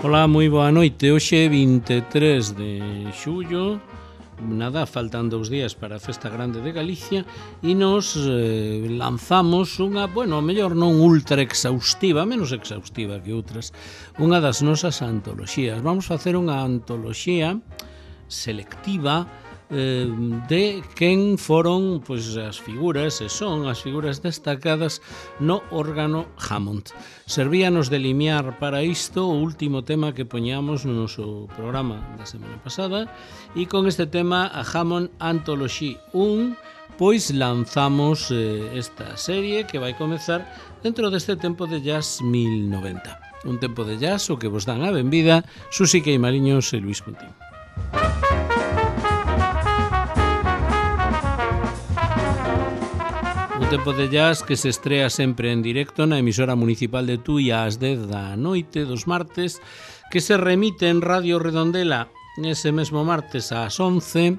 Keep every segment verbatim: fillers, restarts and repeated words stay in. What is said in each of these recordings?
Ola, moi boa noite. Hoxe vinte e tres de xullo, nada, faltan dous días para a Festa Grande de Galicia e nos eh, lanzamos unha, bueno, a mellor non ultra exhaustiva, menos exhaustiva que outras, unha das nosas antoloxías. Vamos facer unha antoloxía selectiva eh, de quen foron pois, as figuras, e son as figuras destacadas no órgano Hammond. Servíanos de limiar para isto o último tema que poñamos no noso programa da semana pasada, e con este tema, a Hammond Anthology un, pois lanzamos eh, esta serie que vai comezar dentro deste tempo de jazz mil noventa. Un tempo de jazz o que vos dan a benvida Susi Queimaliños e Luis Cuntín. Un tempo de jazz que se estrea sempre en directo na emisora municipal de Tui ás dez da noite dos martes, que se remite en Radio Redondela ese mesmo martes ás once,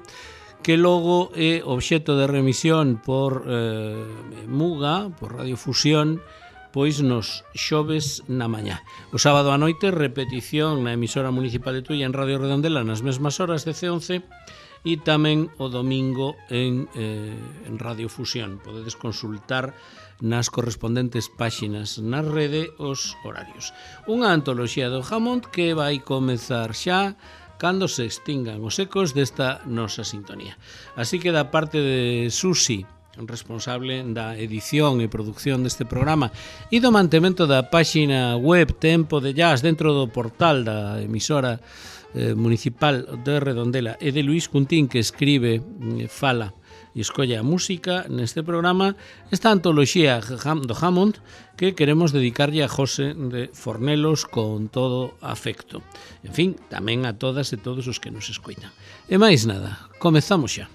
que logo é obxecto de remisión por eh, Muga, por Radio Fusión, pois nos xoves na mañá. O sábado a noite, repetición na emisora municipal de Tui en Radio Redondela nas mesmas horas, dez e once, e tamén o domingo en, eh, en Radio Fusión. Podedes consultar nas correspondentes páxinas na rede os horarios. Unha antoloxía do Hammond que vai comezar xa cando se extingan os ecos desta nosa sintonía. Así que da parte de Susi, responsable da edición e produción deste programa e do mantemento da páxina web Tempo de Jazz dentro do portal da emisora eh, municipal de Redondela, e de Luis Cuntín, que escribe, eh, fala e escolle a música neste programa, esta antoloxía do Hammond que queremos dedicarlle a José de Fornelos con todo afecto. En fin, tamén a todas e todos os que nos escoitan. E máis nada, comezamos xa.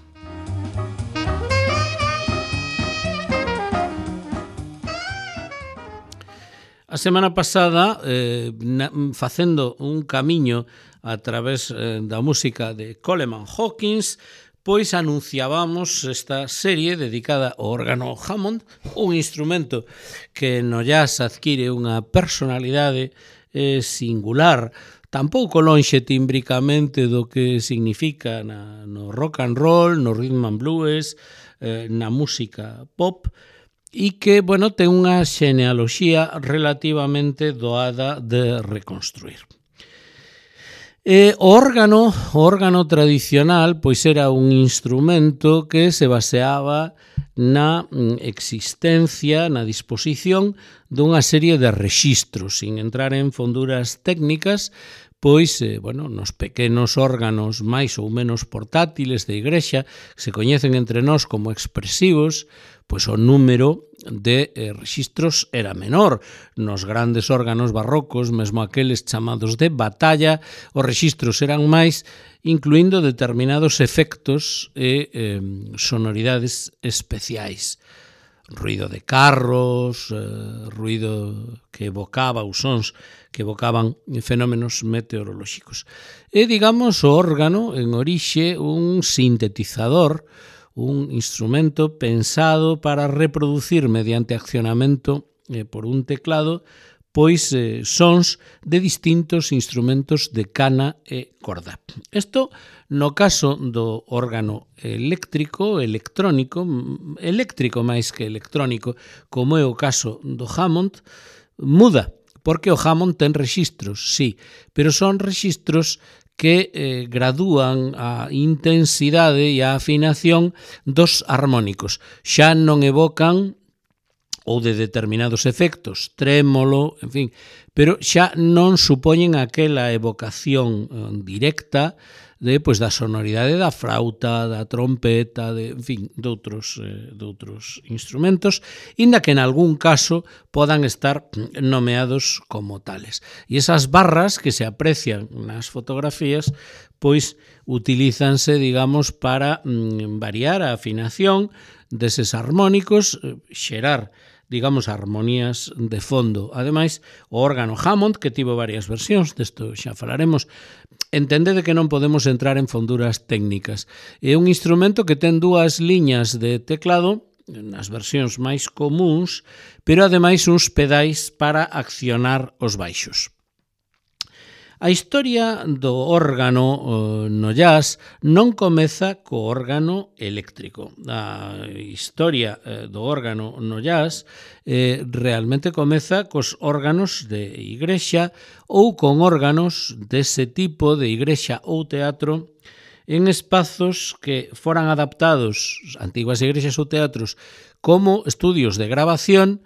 A semana pasada, eh, na, facendo un camiño a través eh, da música de Coleman Hawkins, pois anunciábamos esta serie dedicada ao órgano Hammond, un instrumento que no jazz adquire unha personalidade eh, singular, tampouco lonxe tímbricamente do que significa na, no rock and roll, no rhythm and blues, eh, na música pop, e que, bueno, ten unha xenealoxía relativamente doada de reconstruir. E o órgano, o órgano tradicional, pois era un instrumento que se baseaba na existencia, na disposición dunha serie de rexistros, sin entrar en fonduras técnicas, pois, eh, bueno, nos pequenos órganos máis ou menos portátiles de igrexa, que se coñecen entre nós como expresivos, pois o número de eh, rexistros era menor. Nos grandes órganos barrocos, mesmo aqueles chamados de batalla, os rexistros eran máis, incluindo determinados efectos e eh, sonoridades especiais. Ruido de carros, eh, ruido que evocaba, os sons que evocaban fenómenos meteorolóxicos. E, digamos, o órgano, en orixe, un sintetizador, un instrumento pensado para reproducir mediante accionamento eh, por un teclado pois eh, sons de distintos instrumentos de cana e corda. Isto no caso do órgano eléctrico, electrónico, eléctrico máis que electrónico, como é o caso do Hammond, muda, porque o Hammond ten rexistros, sí, pero son rexistros que eh, gradúan a intensidade e a afinación dos armónicos. Xa non evocan ou de determinados efectos, trémolo, en fin, pero xa non supoñen aquela evocación eh, directa de, pois, da sonoridade da frauta, da trompeta, de, en fin, de outros, eh, de outros instrumentos, inda que en algún caso podan estar nomeados como tales. E esas barras que se aprecian nas fotografías, pois, utilízanse, digamos, para mm, variar a afinación deses armónicos, eh, xerar, digamos, armonías de fondo. Ademais, o órgano Hammond, que tivo varias versións, desto xa falaremos, entendede que non podemos entrar en fonduras técnicas. É un instrumento que ten dúas liñas de teclado, nas versións máis comuns, pero ademais uns pedais para accionar os baixos. A historia do órgano no jazz non comeza co órgano eléctrico. A historia do órgano no jazz eh, realmente comeza cos órganos de igrexa ou con órganos dese tipo de igrexa ou teatro en espazos que foran adaptados, antiguas igrexas ou teatros, como estudios de grabación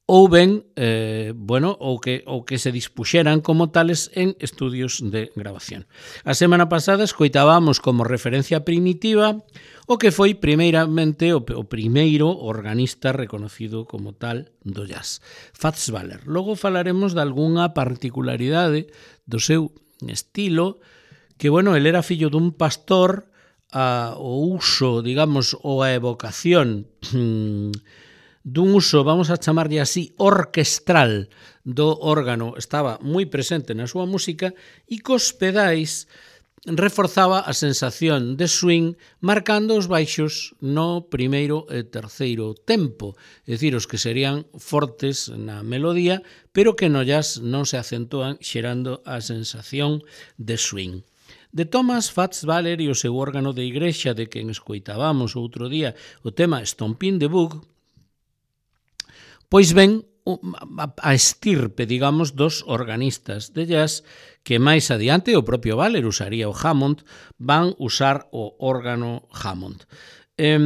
ou ben, eh, bueno, ou que, ou que se dispuxeran como tales en estudios de grabación. A semana pasada escoitábamos como referencia primitiva o que foi primeiramente o, o primeiro organista reconocido como tal do jazz, Fats Waller. Logo falaremos de algunha particularidade do seu estilo, que, bueno, el era fillo dun pastor, a, o uso, digamos, ou a evocación dun uso, vamos a chamarlle así, orquestral do órgano estaba moi presente na súa música e cos pedais reforzaba a sensación de swing marcando os baixos no primeiro e terceiro tempo, é dicir, os que serían fortes na melodía, pero que no jazz non se acentúan xerando a sensación de swing. De Thomas Fats Waller e o seu órgano de igrexa de quen escoitábamos outro día o tema Stompin' the Bug, pois ben, a estirpe, digamos, dos organistas de jazz que máis adiante o propio Waller usaría o Hammond, van usar o órgano Hammond. Eh,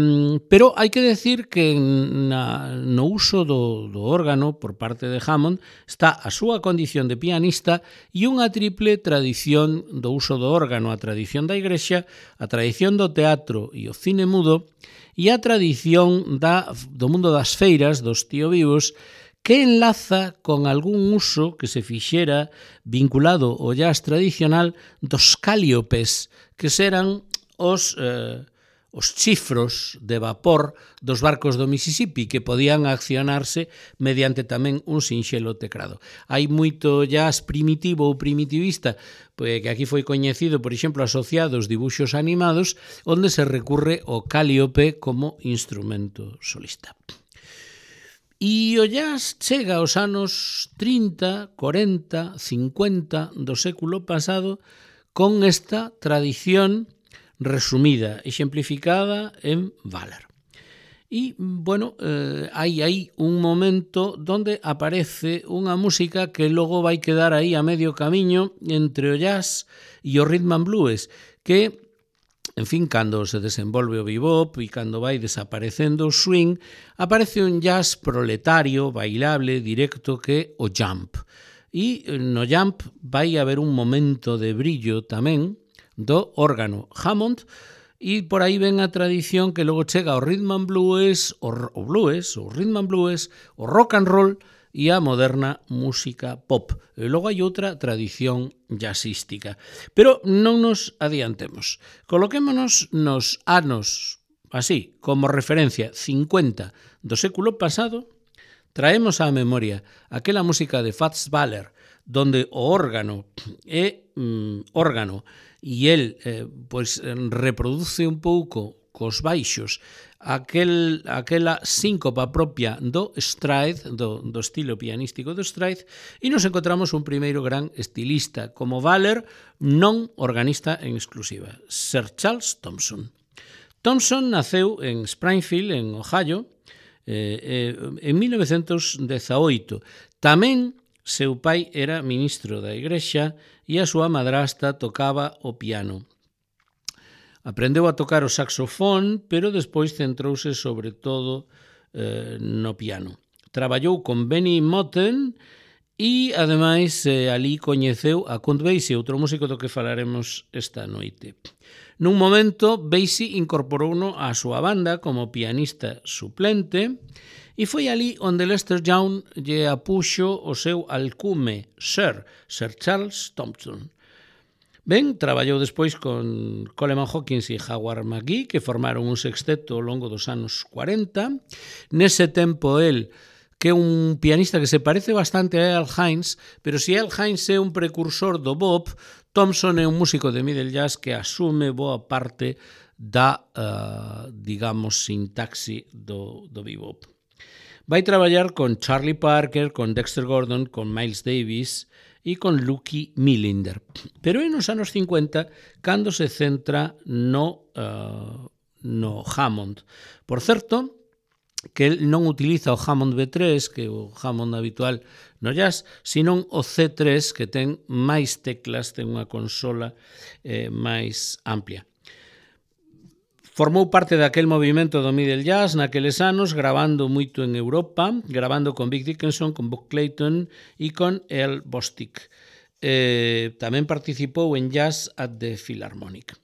pero hai que decir que na, no uso do, do órgano por parte de Hammond está a súa condición de pianista e unha triple tradición do uso do órgano, a tradición da igrexa, a tradición do teatro e o cine mudo, e a tradición da, do mundo das feiras, dos tío vivos, que enlaza con algún uso que se fixera vinculado ao jazz tradicional dos cáliopes, que serán os, eh, os chifros de vapor dos barcos do Mississippi, que podían accionarse mediante tamén un sinxelo teclado. Hai moito jazz primitivo ou primitivista, que aquí foi coñecido, por exemplo, asociado aos dibuxos animados, onde se recurre ao cáliope como instrumento solista. E o jazz chega aos anos trinta, cuarenta, cincuenta do século pasado con esta tradición resumida, exemplificada en Waller. E, bueno, eh, hai aí un momento donde aparece unha música que logo vai quedar aí a medio camiño entre o jazz e o rhythm and blues, que, en fin, cando se desenvolve o bebop e cando vai desaparecendo o swing, aparece un jazz proletario, bailable, directo, que é o jump. E no jump vai haber un momento de brillo tamén do órgano Hammond, e por aí ven a tradición que logo chega ao rhythm and blues, o, o blues, o rhythm and blues, o rock and roll e a moderna música pop. E logo hai outra tradición jazzística. Pero non nos adiantemos. Coloquémonos nos anos, así, como referencia, cincuenta do século pasado, traemos á memoria aquela música de Fats Waller, donde o órgano é mm, órgano, e el eh, pois, reproduce un pouco cos baixos aquel, aquela síncopa propia do stride, do, do estilo pianístico do stride, e nos encontramos un primeiro gran estilista como Waller, non organista en exclusiva, Sir Charles Thompson. Thompson naceu en Springfield, en Ohio, eh, eh, en mil novecentos dezaoito. Tamén seu pai era ministro da igrexa e a súa madrasta tocaba o piano. Aprendeu a tocar o saxofón, pero despois centrouse sobre todo eh, no piano. Traballou con Benny Moten e, ademais, eh, ali coñeceu a Count Basie, outro músico do que falaremos esta noite. Nun momento, Basie incorporouno á súa banda como pianista suplente e foi ali onde Lester Young lle apuxo o seu alcume, Sir, Sir Charles Thompson. Ben, traballou despois con Coleman Hawkins e Howard McGhee, que formaron un sexteto ao longo dos anos cuarenta. Nese tempo, el, que é un pianista que se parece bastante a Earl Hines, pero se Earl Hines é un precursor do bop, Thompson é un músico de middle jazz que asume boa parte da, uh, digamos, sintaxi do, do bebop. Vai traballar con Charlie Parker, con Dexter Gordon, con Miles Davis e con Lucky Millinder. Pero é nos anos cincuenta cando se centra no, uh, no Hammond. Por certo, que el non utiliza o Hammond B tres, que é o Hammond habitual no jazz, senón o C tres, que ten máis teclas, ten unha consola eh, máis amplia. Formou parte daquel movimento do middle jazz naqueles anos, grabando moito en Europa, grabando con Vic Dickinson, con Buck Clayton e con Earl Bostic. Eh, tamén participou en Jazz at the Philharmonic.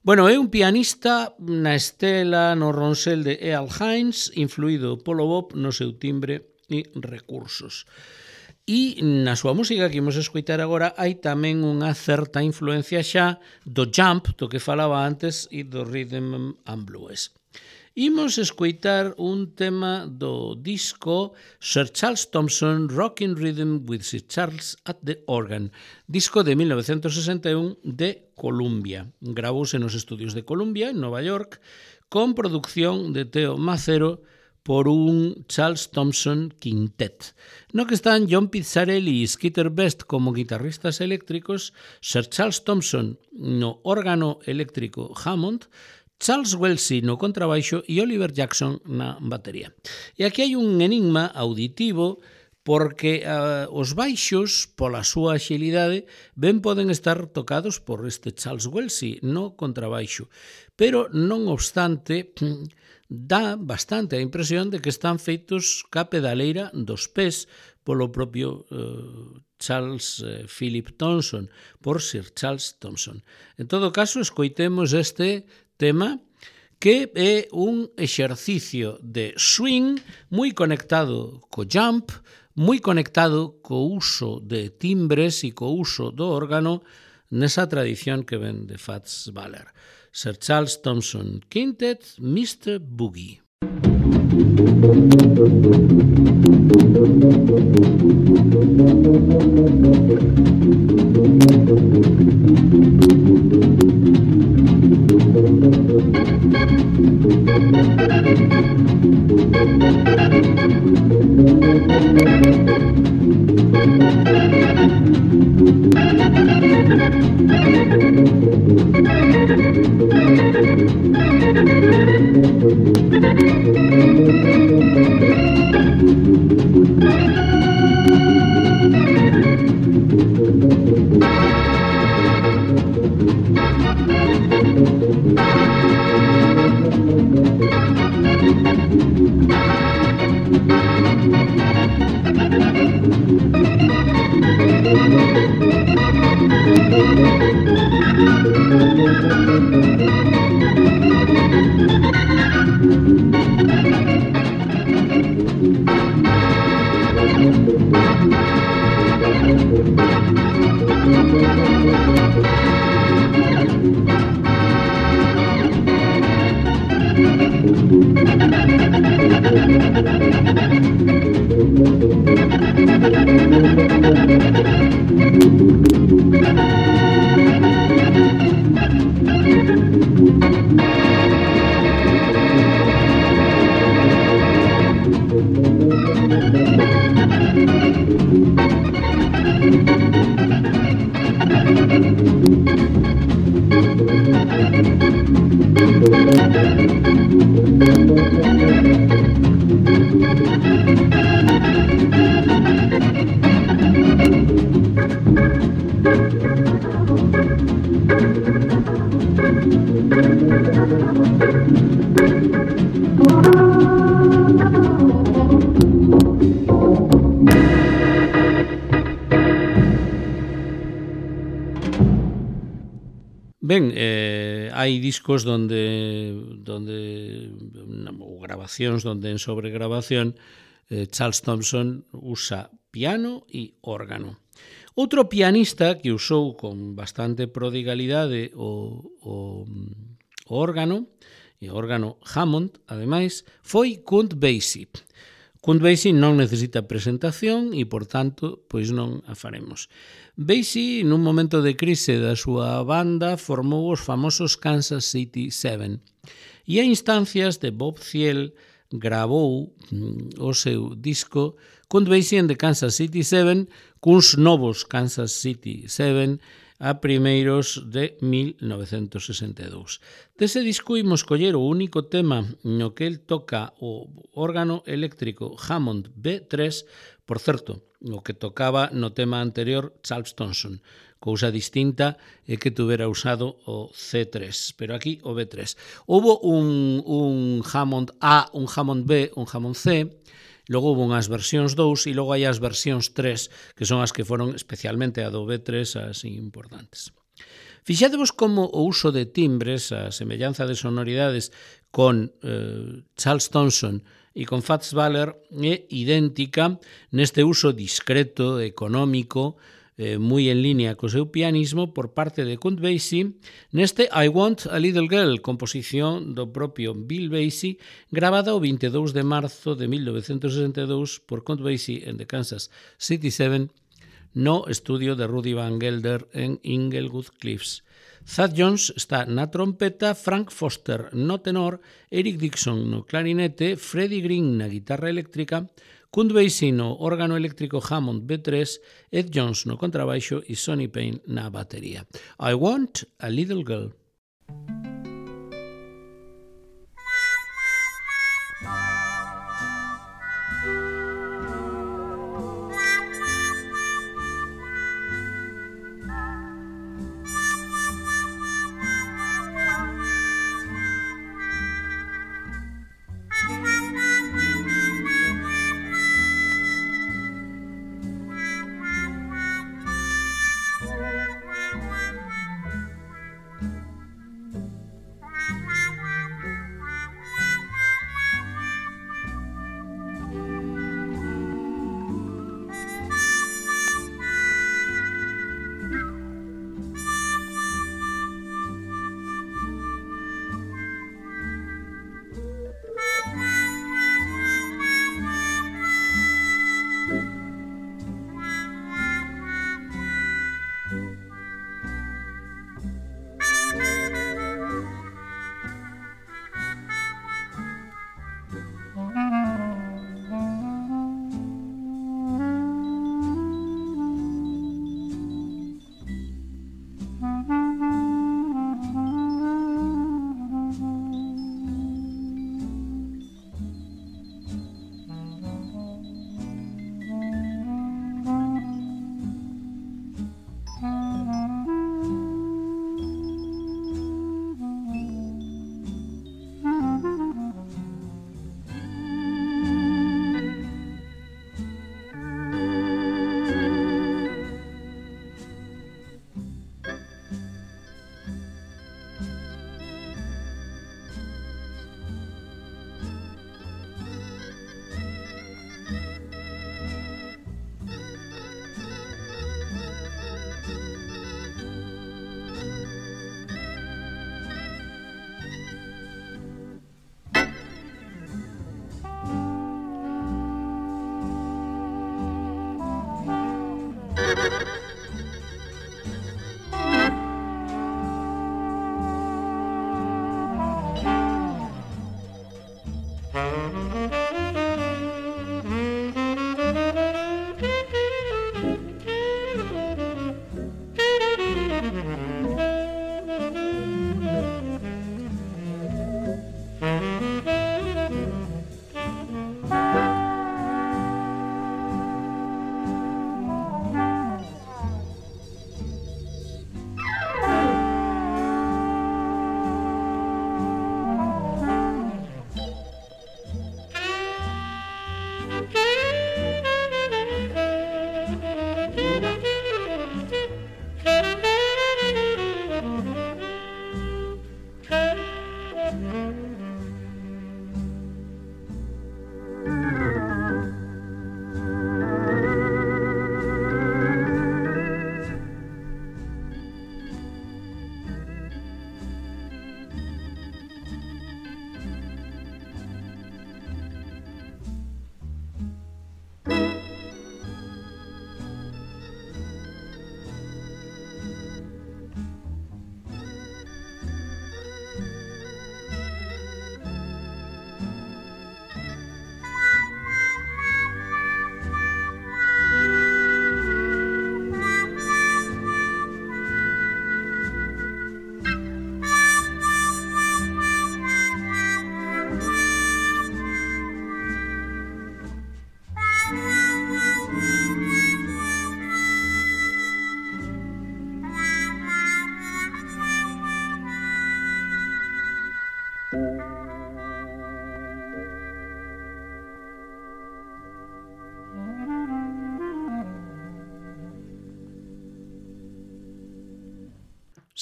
Bueno, é un pianista na estela no ronsel de Earl Hines, influído polo bop no seu timbre e recursos. E na súa música que imos escoitar agora hai tamén unha certa influencia xa do jump, do que falaba antes, e do rhythm and blues. Imos escoitar un tema do disco Sir Charles Thompson, Rockin' Rhythm with Sir Charles at the Organ, disco de mil novecientos sesenta e un de Columbia. Gravouse nos estudios de Columbia, en Nova York, con producción de Teo Macero por un Charles Thompson Quintet, no que están John Pizzarelli e Skeeter Best como guitarristas eléctricos, Sir Charles Thompson no órgano eléctrico Hammond, Charles Wellesley no contrabaixo e Oliver Jackson na batería. E aquí hai un enigma auditivo porque uh, os baixos, pola súa axilidade, ben poden estar tocados por este Charles Wellesley no contrabaixo, pero non obstante dá bastante a impresión de que están feitos ca pedaleira dos pés polo propio uh, Charles uh, Philip Thompson, por Sir Charles Thompson. En todo caso, escoitemos este tema que é un exercicio de swing moi conectado co jump, moi conectado co uso de timbres e co uso do órgano nesa tradición que ven de Fats Waller. Sir Charles Thompson Quintet, mister Boogie. Ben, eh, hai discos donde, donde ou grabacións donde en sobregrabación eh, Charles Thompson usa piano e órgano. Outro pianista que usou con bastante prodigalidade o, o, o órgano, e o órgano Hammond, ademais, foi Count Basie. Count Basie non necesita presentación e, por tanto, pois non a faremos. Basie, nun momento de crise da súa banda, formou os famosos Kansas City Seven e a instancias de Bob Thiele gravou o seu disco Count Basie and the Kansas City Seven cuns novos Kansas City Seven a primeiros de mil novecentos sesenta e dous. Dese disco imos coller o único tema no que el toca o órgano eléctrico Hammond B tres, por certo, o que tocaba no tema anterior Charles Thompson. Cousa distinta é que tuvera usado o C tres, pero aquí o B tres. Houbo un, un Hammond A, un Hammond B, un Hammond C, logo houve unhas versións dous e logo hai as versións tres, que son as que foron especialmente a do B tres as importantes. Fixadevos como o uso de timbres, a semellanza de sonoridades con eh, Charles Thompson e con Fats Waller é idéntica neste uso discreto, económico, eh, moi en línea co seu pianismo por parte de Count Basie neste I Want a Little Girl, composición do propio Bill Basie, gravada o vinte e dous de marzo de mil novecentos sesenta e dous por Count Basie and the Kansas City Seven no estudio de Rudy Van Gelder en Inglewood Cliffs. Thad Jones está na trompeta, Frank Foster no tenor, Eric Dixon no clarinete, Freddie Green na guitarra eléctrica, Count Basie no órgano eléctrico Hammond B tres, Ed Jones no contrabaixo e Sonny Payne na batería. I Want a Little Girl.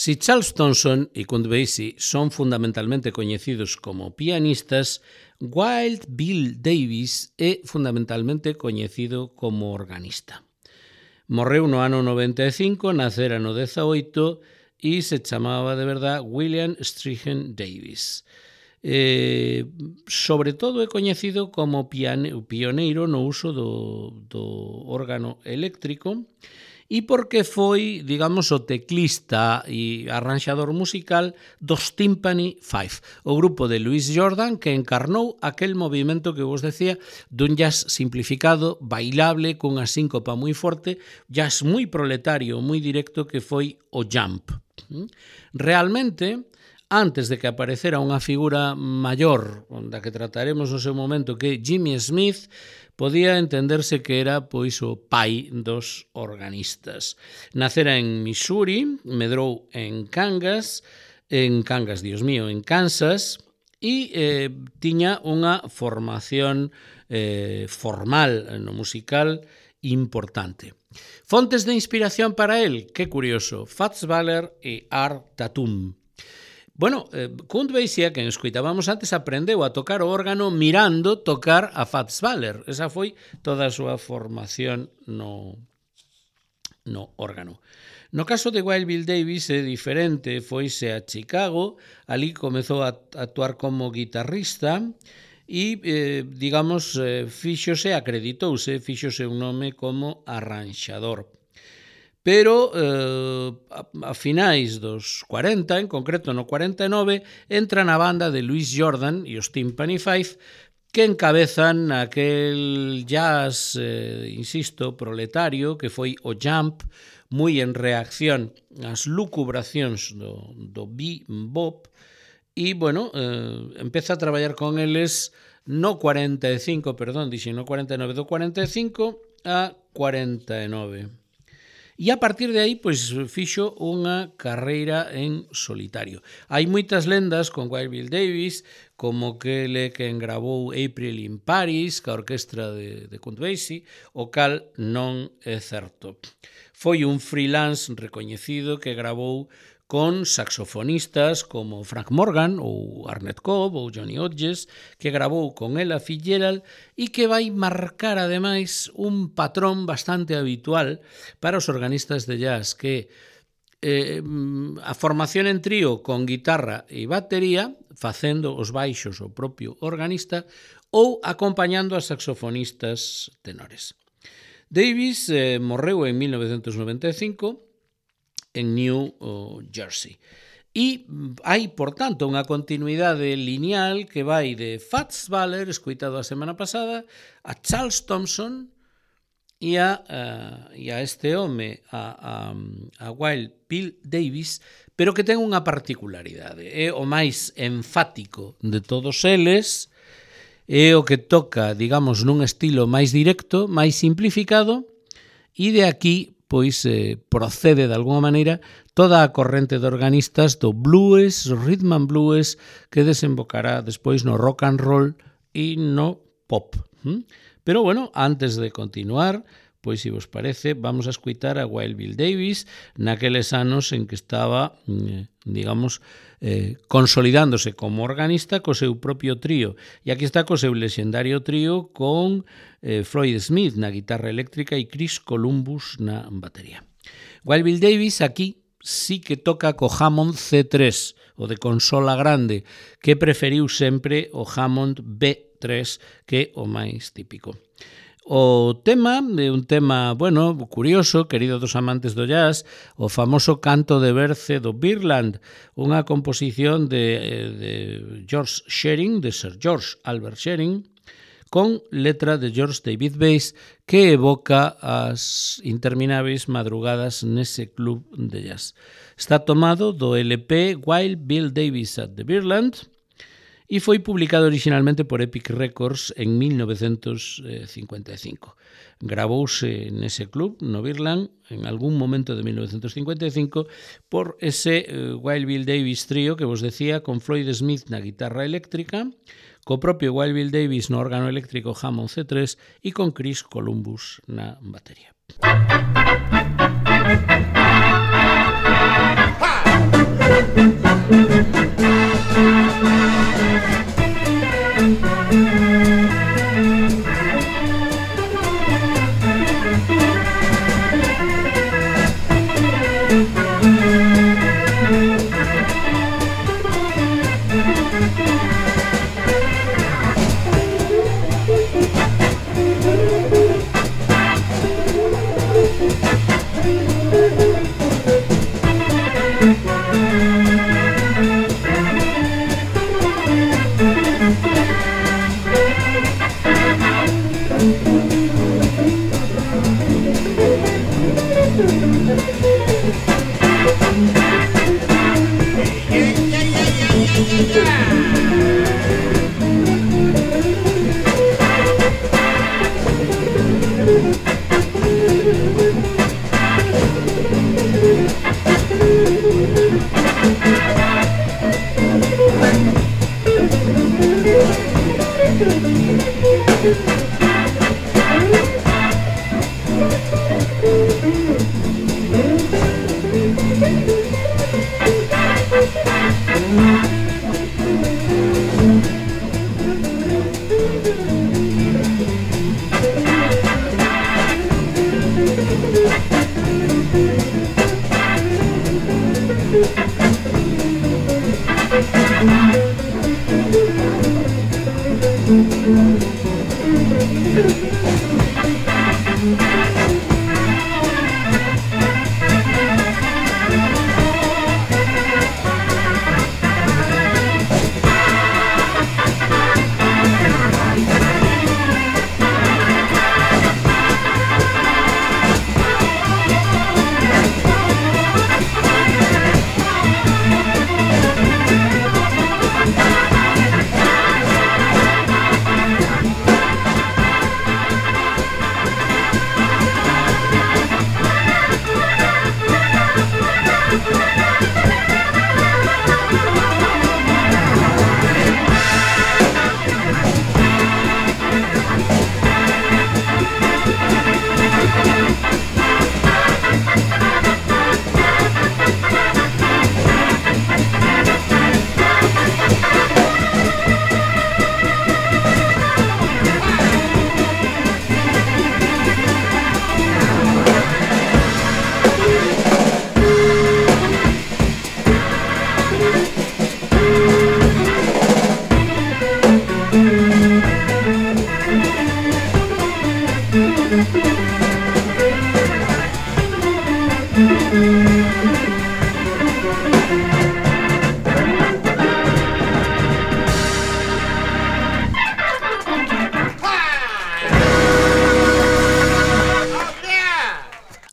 Si Charles Thompson e Count Basie son fundamentalmente coñecidos como pianistas, Wild Bill Davis é fundamentalmente coñecido como organista. Morreu no ano noventa e cinco, nacera no dezaoito e se chamaba de verdad William Strichen Davis. Eh, sobre todo é coñecido como piane, pioneiro no uso do, do órgano eléctrico e porque foi, digamos, o teclista e arranxador musical dos Tympany Five, o grupo de Louis Jordan que encarnou aquel movimento que vos decía dun jazz simplificado, bailable, cunha síncopa moi forte, jazz moi proletario, moi directo que foi o jump. Realmente, antes de que aparecera unha figura maior, da que trataremos no seu momento, que é Jimmy Smith, podía entenderse que era pois o pai dos organistas. Nacera en Missouri, medrou en Kansas, en Kansas, Dios mío, en Kansas, e eh, tiña unha formación eh, formal no musical importante. Fontes de inspiración para él, que curioso, Fats Waller e Art Tatum. Bueno, eh, Count Basie, que nos escoitábamos antes, aprendeu a tocar o órgano mirando tocar a Fats Waller. Esa foi toda a súa formación no, no órgano. No caso de Wild Bill Davis é diferente, foise a Chicago, ali comezou a actuar como guitarrista e, eh, digamos, eh, fíxose, acreditouse, fíxose un nome como arranxador. Pero eh, a, a finais dos cuarenta, en concreto no cuarenta e nove, entra na banda de Louis Jordan e os Tympany Five que encabezan aquel jazz, eh, insisto, proletario que foi o jump, moi en reacción ás lucubracións do, do bebop e, bueno, eh, empeza a traballar con eles no cuarenta e cinco, perdón, dixen no cuarenta e nove, do cuarenta e cinco a cuarenta e nove. E a partir de aí, pois, fixo unha carreira en solitario. Hai moitas lendas con Wild Bill Davis, como que ele que engravou April in Paris, ca orquestra de, de Count Basie, o cal non é certo. Foi un freelance recoñecido que gravou con saxofonistas como Frank Morgan ou Arnett Cobb ou Johnny Hodges, que gravou con ela Fitzgerald e que vai marcar ademais un patrón bastante habitual para os organistas de jazz, que eh, a formación en trío con guitarra e batería, facendo os baixos o propio organista ou acompañando a saxofonistas tenores. Davis eh, morreu en mil novecentos noventa e cinco en New Jersey. E hai, por tanto, unha continuidade lineal que vai de Fats Waller, escoitado a semana pasada, a Charles Thompson e a, uh, e a este home, a, a, a Wild Bill Davis, pero que ten unha particularidade. É o máis enfático de todos eles, é o que toca, digamos, nun estilo máis directo, máis simplificado, e de aquí pois eh, procede de alguma maneira toda a corrente de organistas do blues, rhythm and blues, que desembocará despois no rock and roll e no pop. Pero bueno, antes de continuar, pois se vos parece, vamos a escutar a Wild Bill Davis naqueles anos en que estaba, digamos, eh, consolidándose como organista co seu propio trío. E aquí está co seu lexendario trío con eh, Floyd Smith na guitarra eléctrica e Chris Columbus na batería. Wild Bill Davis aquí sí que toca co Hammond C tres, o de consola grande, que preferiu sempre o Hammond B tres, que é o máis típico. O tema é un tema, bueno, curioso, querido dos amantes do jazz, o famoso canto de Berce do Birdland, unha composición de, de George Shearing, de Sir George Albert Shearing, con letra de George David Bass, que evoca as interminables madrugadas nese club de jazz. Está tomado do L P Wild Bill Davis at the Birdland, e foi publicado originalmente por Epic Records en mil novecentos cincuenta e cinco. Gravouse nese club, no Birdland, en algún momento de mil novecentos cincuenta e cinco, por ese uh, Wild Bill Davis trío que vos decía, con Floyd Smith na guitarra eléctrica, co propio Wild Bill Davis no órgano eléctrico Hammond C tres e con Chris Columbus na batería. Ha!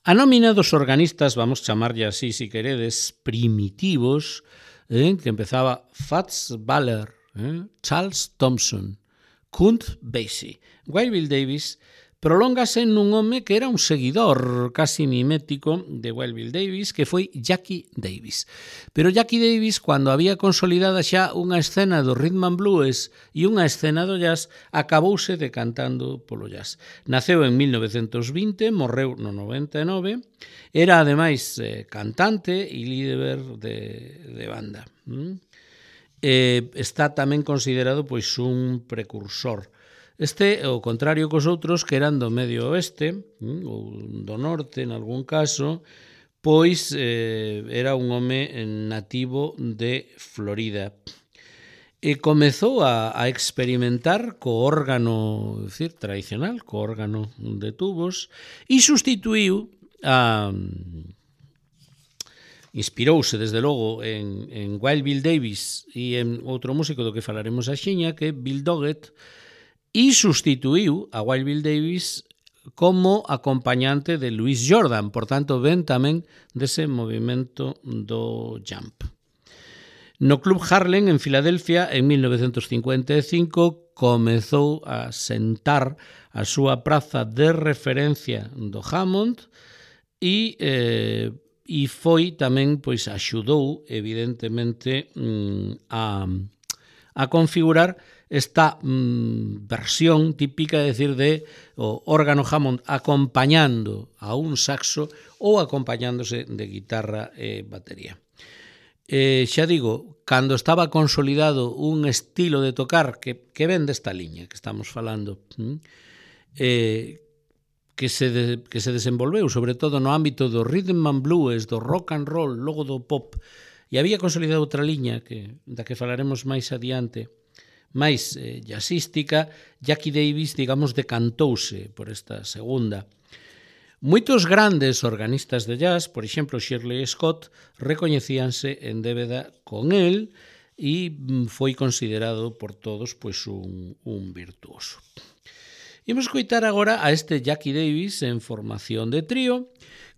A nómina dos organistas, vamos chamarlle así, si queredes, primitivos, eh, que empezaba Fats Waller, eh, Charles Thompson, Count Basie, Wild Bill Davis, prolóngase nun home que era un seguidor casi mimético de Wild Bill Davis, que foi Jackie Davis. Pero Jackie Davis, cando había consolidada xa unha escena do rhythm and blues e unha escena do jazz, acabouse decantando polo jazz. Naceu en mil novecentos vinte, morreu no noventa e nove, era ademais eh, cantante e líder de, de banda. Mm? Eh, está tamén considerado pois un precursor. Este, ao contrario cos outros que eran do medio oeste, ou do norte, en algún caso, pois eh, era un home nativo de Florida. E comezou a, a experimentar co órgano, decir, tradicional, co órgano de tubos, e sustituiu a... Inspirouse, desde logo, en, en Wild Bill Davis e en outro músico do que falaremos axiña, que é Bill Doggett, e sustituiu a Wild Bill Davis como acompañante de Louis Jordan, por tanto, ven tamén dese movimento do jump. No Club Harlem, en Filadelfia, en mil novecentos cincuenta e cinco, comezou a sentar a súa praza de referencia do Hammond e, eh, e foi tamén, pois, axudou, evidentemente, a, a configurar esta mm, versión típica, é dicir, de o órgano Hammond acompañando a un saxo ou acompañándose de guitarra e batería. Eh, xa digo, cando estaba consolidado un estilo de tocar que, que ven desta liña que estamos falando, eh, que se, de, que se desenvolveu sobre todo no ámbito do rhythm and blues, do rock and roll, logo do pop, e había consolidado outra liña que, da que falaremos máis adiante, máis eh, jazzística. Jackie Davis, digamos, decantouse por esta segunda. Moitos grandes organistas de jazz, por exemplo, Shirley Scott, recoñecíanse en débeda con el e foi considerado por todos pois, un, un virtuoso. Imos coitar agora a este Jackie Davis en formación de trío,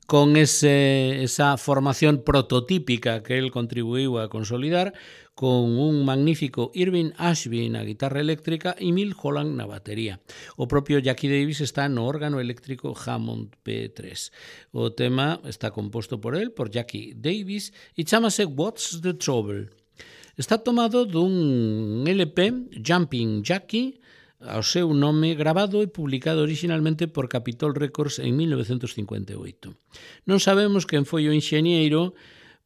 con ese, esa formación prototípica que el contribuiu a consolidar, con un magnífico Irving Ashby na guitarra eléctrica e Milt Holland na batería. O propio Jackie Davis está no órgano eléctrico Hammond P tres. O tema está composto por él, por Jackie Davis, e chamase What's the Trouble? Está tomado dun L P, Jumping Jackie, ao seu nome, grabado e publicado originalmente por Capitol Records en mil novecentos cincuenta e oito. Non sabemos quen foi o enxeñeiro,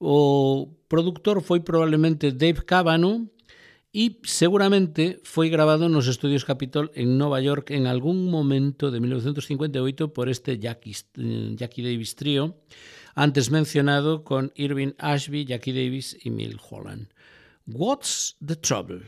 o produtor foi probablemente Dave Cavanaugh e seguramente foi grabado nos estudios Capitol en Nova York en algún momento de mil novecentos cincuenta e oito por este Jackie, Jackie Davis Trio, antes mencionado con Irving Ashby, Jackie Davis e Milt Holland. What's the Trouble?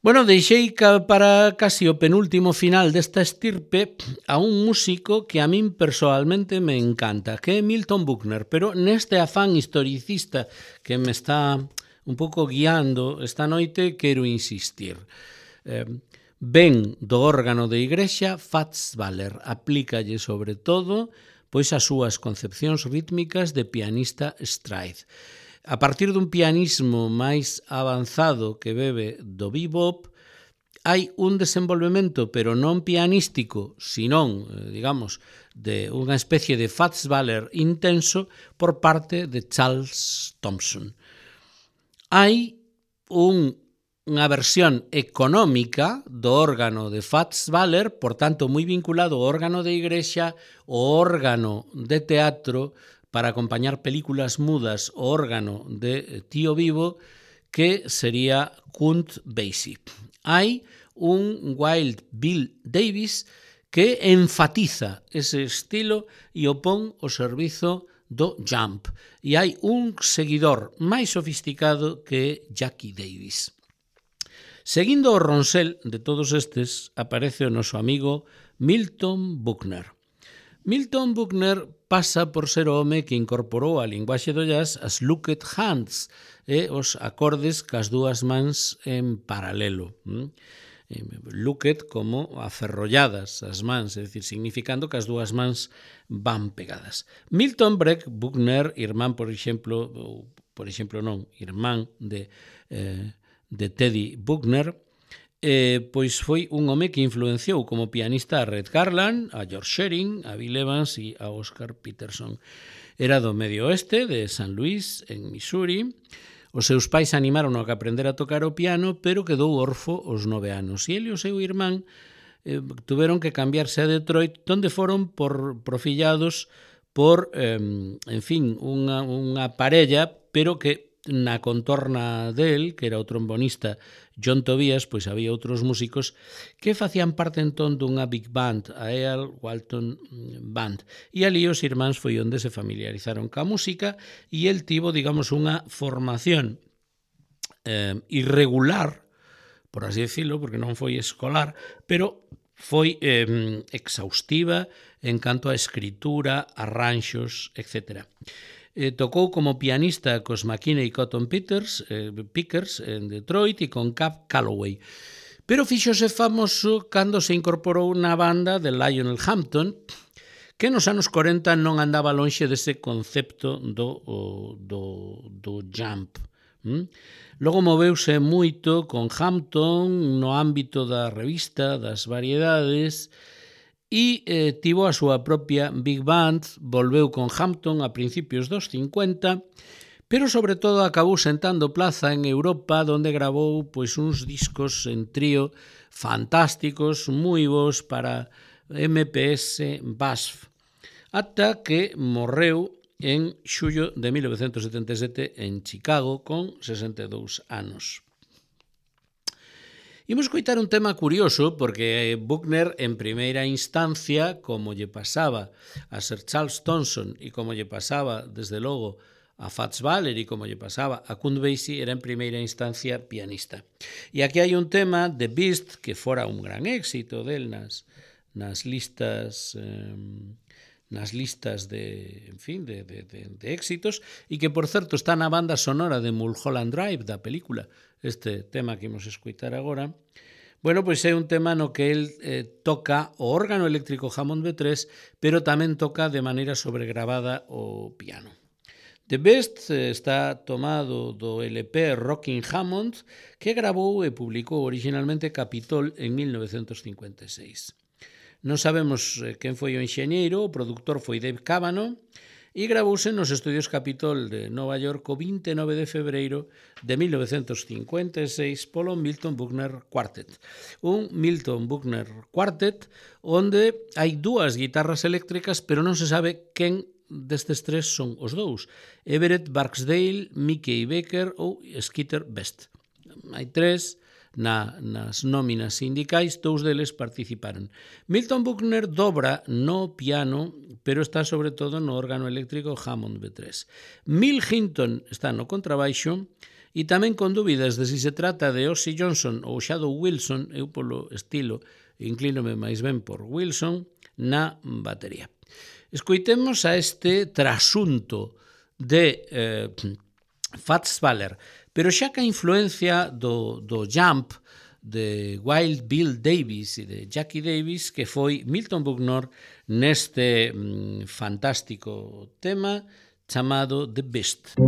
Bueno, deixei para casi o penúltimo final desta estirpe a un músico que a min personalmente me encanta, que é Milton Buckner, pero neste afán historicista que me está un pouco guiando esta noite, quero insistir. Eh, ben do órgano de igrexa, Fats Waller aplícalle sobre todo pois as súas concepcións rítmicas de pianista stride. A partir dun pianismo máis avanzado que bebe do bebop, hai un desenvolvemento, pero non pianístico, senón, digamos, de unha especie de Fats Waller intenso por parte de Charles Thompson. Hai un, unha versión económica do órgano de Fats Waller, por tanto, moi vinculado ao órgano de igrexa, ao órgano de teatro, para acompañar películas mudas, o órgano de Tío Vivo, que sería Count Basie. Hai un Wild Bill Davis que enfatiza ese estilo e o pon ao servizo do jump. E hai un seguidor máis sofisticado que é Jackie Davis. Seguindo o ronsel de todos estes, aparece o noso amigo Milton Buckner. Milton Buckner pasa por ser o home que incorporou á linguaxe do jazz as looked hands e os acordes cas dúas mans en paralelo. Looked como aferrolladas as mans, é dicir, significando que as dúas mans van pegadas. Milton Breck Buckner, irmán, por exemplo, ou, por exemplo non, irmán de, eh, de Teddy Buckner, Eh, pois foi un home que influenciou como pianista a Red Garland, a George Shearing, a Bill Evans e a Oscar Peterson. Era do medio oeste de San Luis, en Missouri. Os seus pais animaron a que aprendera a tocar o piano, pero quedou orfo aos nove anos. E ele e o seu irmán eh, tuveron que cambiarse a Detroit, donde foron por profillados por, eh, en fin, unha, unha parella, pero que na contorna del, que era o trombonista John Tobias, pois había outros músicos que facían parte entón dunha big band, a Earl Walton Band. E ali os irmáns foi onde se familiarizaron ca música e el tivo, digamos, unha formación eh, irregular, por así decirlo, porque non foi escolar, pero foi eh, exhaustiva en canto a escritura, arranxos, etcétera. Eh, tocou como pianista cos McKinney Cotton Peters, eh, Pickers en Detroit e con Cab Calloway. Pero fíxose famoso cando se incorporou na banda de Lionel Hampton, que nos anos corenta non andaba lonxe dese concepto do, do, do jump. ¿Mm? Logo moveuse moito con Hampton no ámbito da revista, das variedades, e eh, tivo a súa propia Big Band, volveu con Hampton a principios dos cincuenta, pero sobre todo acabou sentando plaza en Europa, donde gravou pois uns discos en trío fantásticos, moi bons para M P S B A S F, ata que morreu en xullo de mil novecentos setenta e sete en Chicago con sesenta e dous anos. Imos coitar un tema curioso, porque Buckner, en primeira instancia, como lle pasaba a Sir Charles Thompson e como lle pasaba, desde logo, a Fats Waller e como lle pasaba a Count Basie, era en primeira instancia pianista. E aquí hai un tema de Beast, que fora un gran éxito del nas, nas listas... Eh, nas listas de, en fin, de, de, de, de éxitos, e que, por certo, está na banda sonora de Mulholland Drive, da película, este tema que imos escoitar agora. Bueno, pois é un tema no que el eh, toca o órgano eléctrico Hammond B tres, pero tamén toca de maneira sobregravada o piano. The Best eh, está tomado do L P Rockin' Hammond, que gravou e publicou originalmente Capitol en mil novecentos cincuenta e seis. Non sabemos quen foi o enxeñeiro, o produtor foi Dave Cavanaugh, e gravouse nos estudios Capitol de Nova York o vinte e nove de febreiro de mil novecentos cincuenta e seis polo Milton Buckner Quartet. Un Milton Buckner Quartet onde hai dúas guitarras eléctricas, pero non se sabe quen destes tres son os dous. Everett Barksdale, Mickey Becker ou Skeeter Best. Hai tres... Na, nas nóminas sindicais, dous deles participaron. Milton Buckner dobra no piano, pero está sobre todo no órgano eléctrico Hammond B tres. Mill Hinton está no contrabaixo e tamén con dúbidas de si se trata de Ozzy Johnson ou Shadow Wilson, eu polo estilo inclínome máis ben por Wilson, na batería. Escoitemos a este trasunto de eh, Fats Waller, pero xa que a influencia do, do Jump, de Wild Bill Davis e de Jackie Davis, que foi Milton Buckner neste mm, fantástico tema chamado The Beast.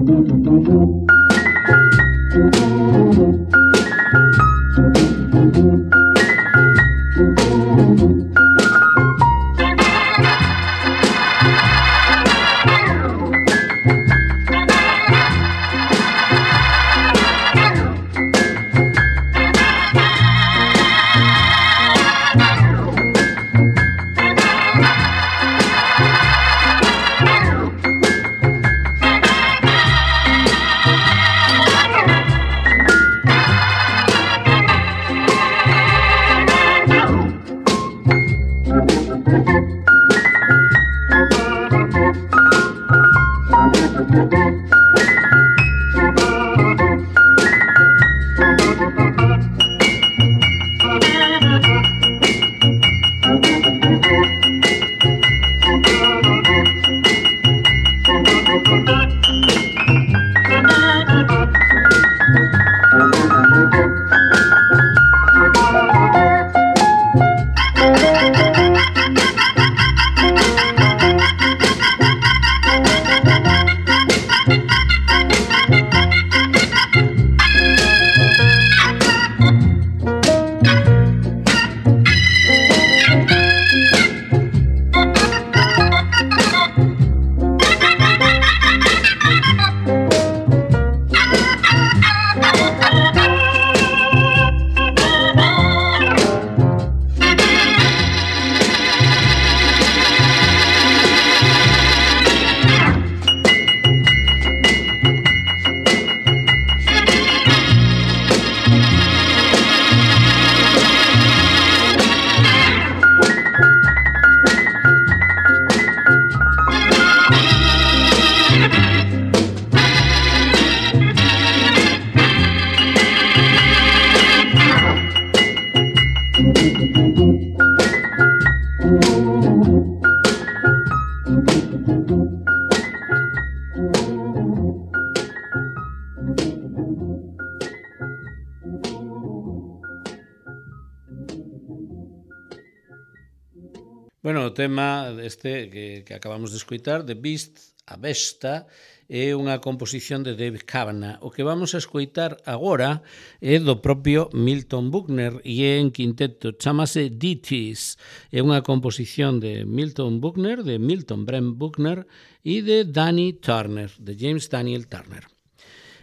Bueno, o tema este que, que acabamos de escoitar, The Beast, a Besta, é unha composición de David Kavanagh. O que vamos a escoitar agora é do propio Milton Buckner e é en quinteto, chamase Ditties. É unha composición de Milton Buckner, de Milton Brent Buckner e de Danny Turner, de James Daniel Turner.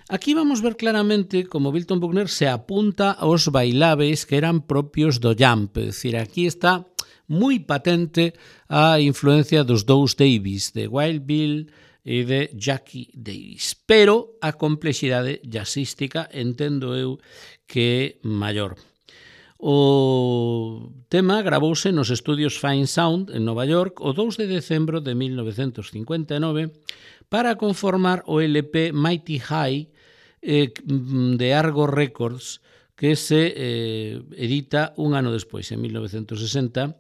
Aquí vamos ver claramente como Milton Buckner se apunta aos bailables que eran propios do jump, é dicir, aquí está moi patente a influencia dos dous Davis, de Wild Bill e de Jackie Davis. Pero a complexidade jazzística entendo eu que é maior. O tema gravouse nos estudios Fine Sound en Nova York o dous de decembro de mil novecentos cincuenta e nove para conformar o L P Mighty High eh, de Argo Records, que se eh, edita un ano despois, en mil novecentos sesenta,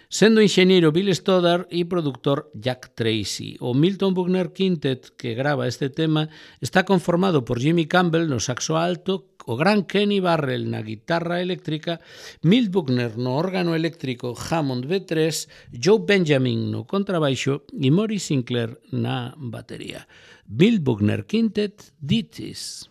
sendo enxeñeiro Bill Stoddard e productor Jack Tracy. O Milton Buckner Quintet, que grava este tema, está conformado por Jimmy Campbell no saxo alto, o gran Kenny Barrell na guitarra eléctrica, Milt Buckner no órgano eléctrico Hammond B tres, Joe Benjamin no contrabaixo e Maurice Sinclair na batería. Bill Buckner Quintet, Ditties.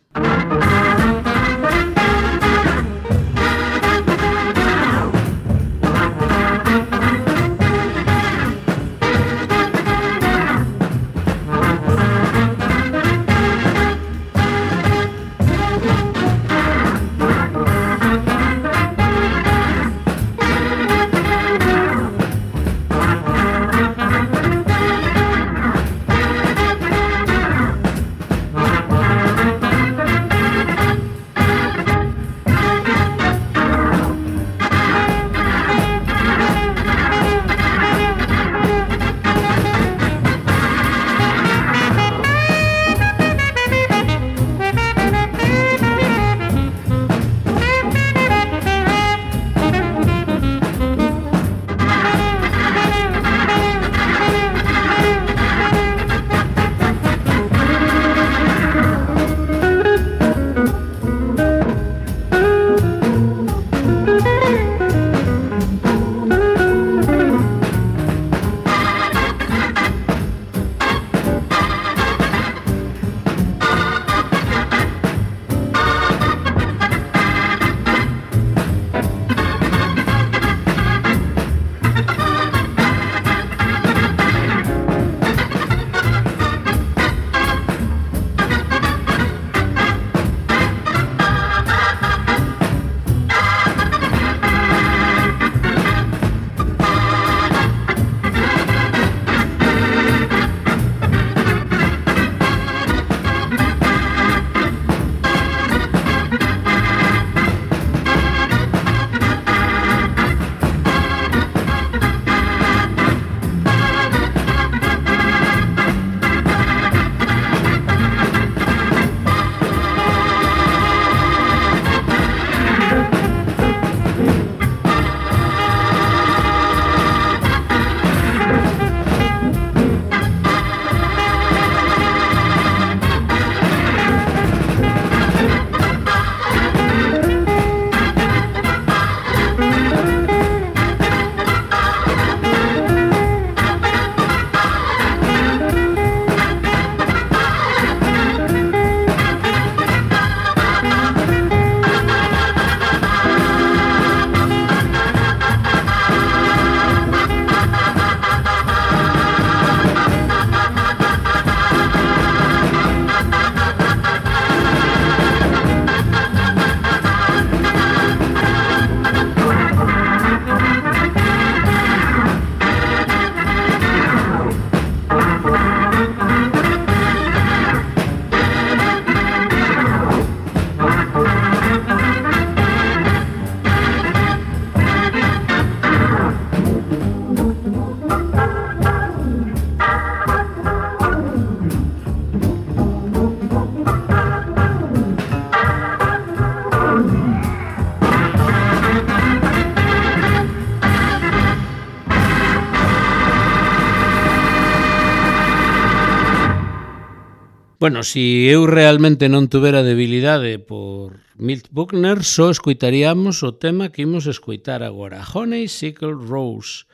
Bueno, si eu realmente non tuvera debilidade por Milt Buckner, só escoitaríamos o tema que imos escoitar agora, Honeysuckle Rose,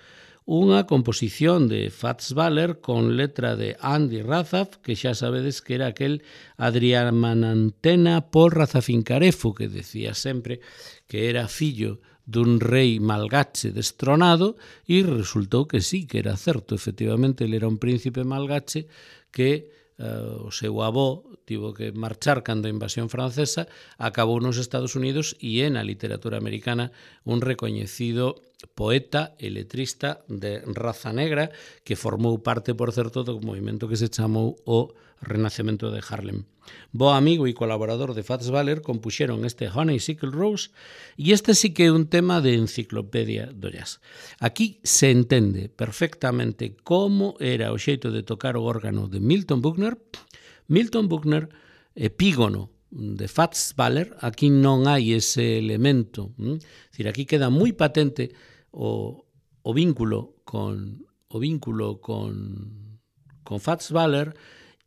unha composición de Fats Waller con letra de Andy Razaf, que xa sabedes que era aquel Adriamanantena Paul Razafincarefu, que decía sempre que era fillo dun rei malgache destronado, e resultou que sí, que era certo, efectivamente, ele era un príncipe malgache que Uh, o seu avó tivo que marchar cando a invasión francesa, acabou nos Estados Unidos e é na literatura americana un recoñecido poeta e letrista de raza negra que formou parte, por certo, do movimento que se chamou o Renacemento de Harlem. Bo amigo e colaborador de Fats Waller compuxeron este Honeysuckle Rose e este sí que é un tema de enciclopedia do jazz. Aquí se entende perfectamente como era o xeito de tocar o órgano de Milton Buckner. Milton Buckner, epígono de Fats Waller, aquí non hai ese elemento. É dicir, aquí queda moi patente o, o vínculo con o vínculo con, con Fats Waller,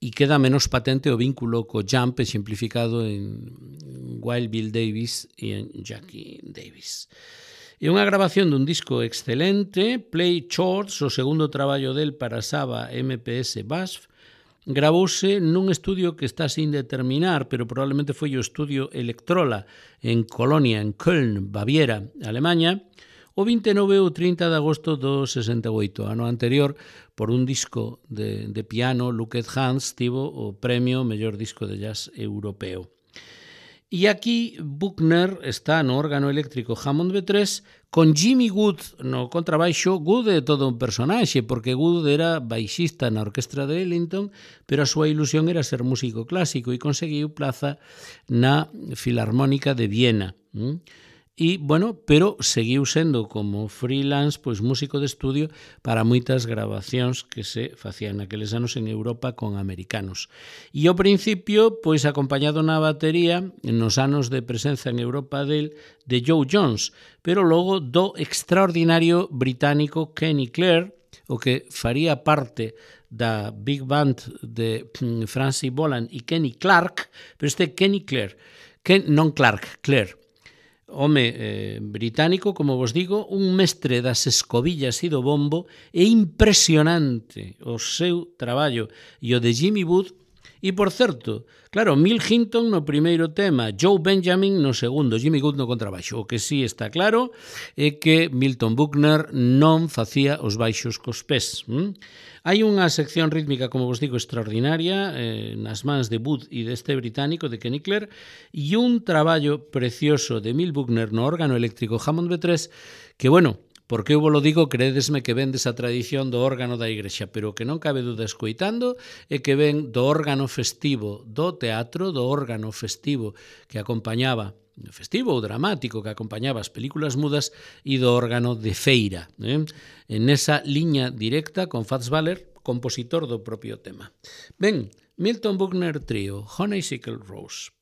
e queda menos patente o vínculo co jump exemplificado en Wild Bill Davis e en Jackie Davis. É unha grabación dun disco excelente, Play Chords, o segundo traballo del para Saba M P S Bass, gravouse nun estudio que está sin determinar, pero probablemente foi o estudio Electrola en Colonia, en Köln, Baviera, Alemanha, o vinte e nove ou trinta de agosto do sesenta e oito. Ano anterior, por un disco de, de piano, Looked Hands tivo o premio mellor disco de jazz europeo. E aquí Buckner está no órgano eléctrico Hammond B tres con Jimmy Wood no contrabaixo. Wood é todo un personaxe, porque Wood era baixista na orquestra de Ellington, pero a súa ilusión era ser músico clásico e conseguiu plaza na Filarmónica de Viena. E, bueno, pero seguiu sendo como freelance, pois músico de estudio para moitas grabacións que se facían naqueles anos en Europa con americanos. E ao principio, pois acompañado na batería, nos anos de presenza en Europa del, de Joe Jones, pero logo do extraordinario británico Kenny Clare, o que faría parte da Big Band de Francis Boland e Kenny Clark, pero este Kenny Clare, Ken, non Clark, Clare, home eh, británico, como vos digo, un mestre das escobillas e do bombo, é impresionante o seu traballo e o de Jimmy Wood. E, por certo, claro, Milt Hinton no primeiro tema, Joe Benjamin no segundo, Jimmy Wood no contrabaixo. O que sí está claro é que Milton Buckner non facía os baixos cos pés. Hm? Hai unha sección rítmica, como vos digo, extraordinaria eh, nas mans de Wood e deste británico, de Kenny Clare, e un traballo precioso de Milt Buckner no órgano eléctrico Hammond B tres, que, bueno, porque eu vos lo digo, credesme que ven desa tradición do órgano da igrexa, pero que non cabe duda escoitando é que ven do órgano festivo do teatro, do órgano festivo que acompañaba, festivo ou dramático que acompañaba as películas mudas, e do órgano de feira, eh? En esa liña directa con Fats Waller, compositor do propio tema. Ben, Milton Buckner Trio, Honeysuckle Rose.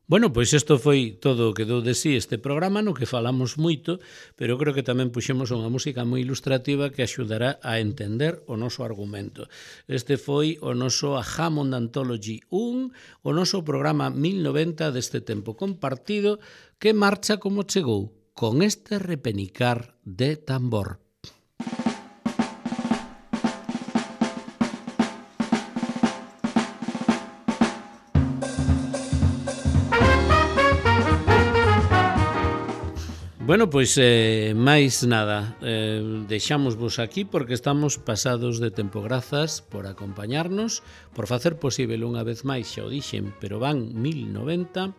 Bueno, pois isto foi todo o que dou de sí este programa, no que falamos moito, pero creo que tamén puxemos unha música moi ilustrativa que axudará a entender o noso argumento. Este foi o noso Hammond Anthology un, o noso programa mil noventa deste tempo compartido, que marcha como chegou, con este repenicar de tambor. Bueno, pois eh, máis nada, eh, deixámosvos aquí porque estamos pasados de tempo. Grazas por acompañarnos, por facer posible unha vez máis, xa o dixen, pero van mil noventa,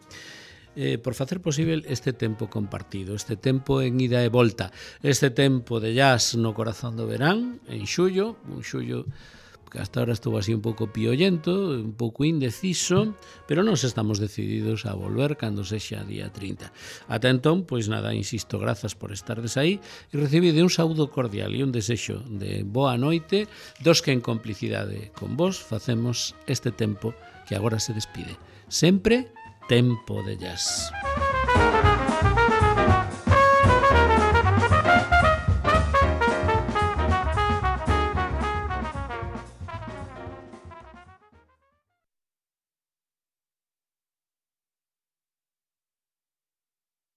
eh, por facer posible este tempo compartido, este tempo en ida e volta, este tempo de jazz no corazón do verán, en xullo, un xullo que hasta ahora estuvo así un pouco piollento, un pouco indeciso, pero nos estamos decididos a volver cando sexa día trinta. Ata entón, pois nada, insisto, grazas por estardes aí e recibide un saúdo cordial e un desexo de boa noite dos que en complicidade con vos facemos este tempo que agora se despide. Sempre tempo de jazz.